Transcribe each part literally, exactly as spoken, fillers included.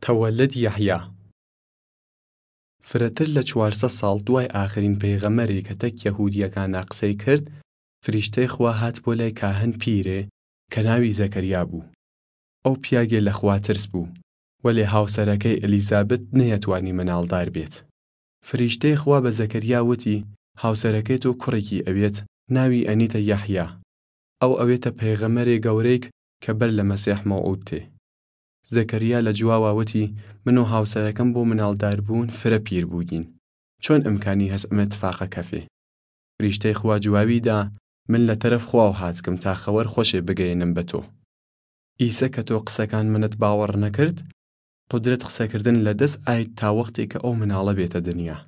تەوەلد یەحیا. فرەتر لە چوار سەد ساڵ دوای ئاخرین پەیغەمەرێ کە تەک یەهودیەکانا قسەی کرد، فریشتەی خوا هات بۆ لای کاهن پیرێ کە ناوی زەکەریا بوو. ئەو پیاگێ لە خوا ترس بوو، وەلێ هاوسەرەکەی ئەلیزابت نەیەتوانی مناڵدار بێت. فریشتەی خوا بە زەکەریا وتی، هاوسەرەکەی تۆ کوڕێکی ئەوێت، ناوی ئەنیتە یەحیا. ئەو ئەوێتە پەیغەمەرێ گەورەیک کە بەر لە مەسیح مەوعود تێ. زەکەریا لە جواوا وتی، من و هاوسەرەکەم بۆ مناڵداربوون فرە پیر بووگین. چۆن ئمکانی هەس ئەمە تفاقە کەفێ؟ فریشتەی خوا جواوی دا، من لە تەرەف خواو هاتکم تا خەوەر خوەشێ بگەێنم بە تۆ. ئیسە کە تۆ قسەکان منت باوەڕ نەکرد، قودرەت قسەکردن لە دەس ئاید تا وەختێ کە ئەو مناڵە بێتە دنیا.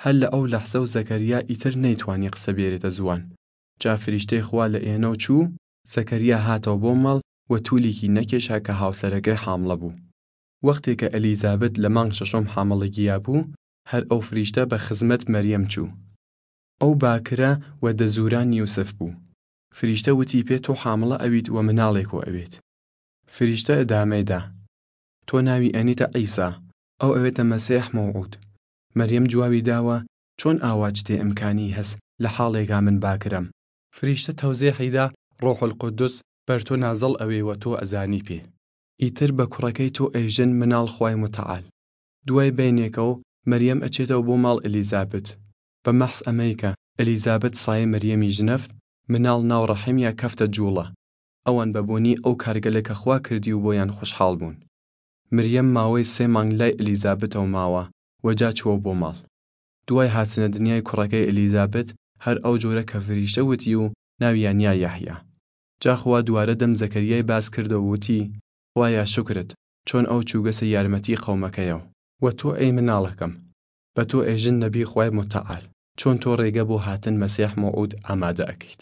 هەر لە ئەو لەحزە و زەکەریا ئیتر نەیتوانی قسە بێرێتە زوان. جا فریشتەی خوا لە ئێنەو چوو، زەکەریا هاتەوە بۆ ماڵ و تولیکی نەکێشا کە هاوسەرەکەی حامڵە بوو. وەختێ کە ئەلیزابت لە مانگ شەشەم حامڵەگیا بوو، هەر ئەو فریشتە بە خزمەت مەریەم چوو. ئەو باکرە و دەزوران یوسف بوو. فریشتە وتی پێ، تۆ حامڵە ئەویت و مناڵێکۆ ئەوێت. فریشتە ئدامەی دا، تۆ ناوی ئەنیتە عیسا، ئەو ئەوێتە مەسیح مەوعود. مەریەم جواوی داوە، چۆن ئاوا چتێ ئمکانی هەس لە حاڵێگا من باکرەم؟ فریشتە تەوزێحی دا، ڕۆح القودس بەر تۆ نازڵ ئەوێ و تۆ ئەزانی پێ. ئیتر بە کوڕەکەی تۆ ئێژن مناڵ خوای متعال. دوای بەینێکەو مەریەم ئەچێتەوە بۆ ماڵ ئەلیزابت. بە مەحس ئەمەی کە ئەلیزابت سایە مەریەمی ژنەفت، مناڵ ناو ڕەحمیا کەفتە جوڵە. ئەوان بە بۆنی ئەو کارگەلە کە خوا کردی و بۆیان خوشحاڵ بوون. مریەم ماوەی سێ مانگ لای ئەلیزابتەوە ماوە و جا چووە بۆ ماڵ. دوای هاتنە دنیای کوڕەکەی ئەلیزابت، هەر ئەو جۆرە کە فریشتە وتی و ناویان یا یەحیا. جا خوا دووارە دەم زەکەریای باس کردەوە وتی، خوایە شکرت، چۆن ئەو چووگەسە یارمەتی قەومەکەیەو. و تۆ ئەی مناڵەکەم، بە تۆ ئێژن نەبی خوای متعال، چۆن تۆ ڕێگە بۆ هاتن مەسیح مەوعود ئامادە ئەکەیت.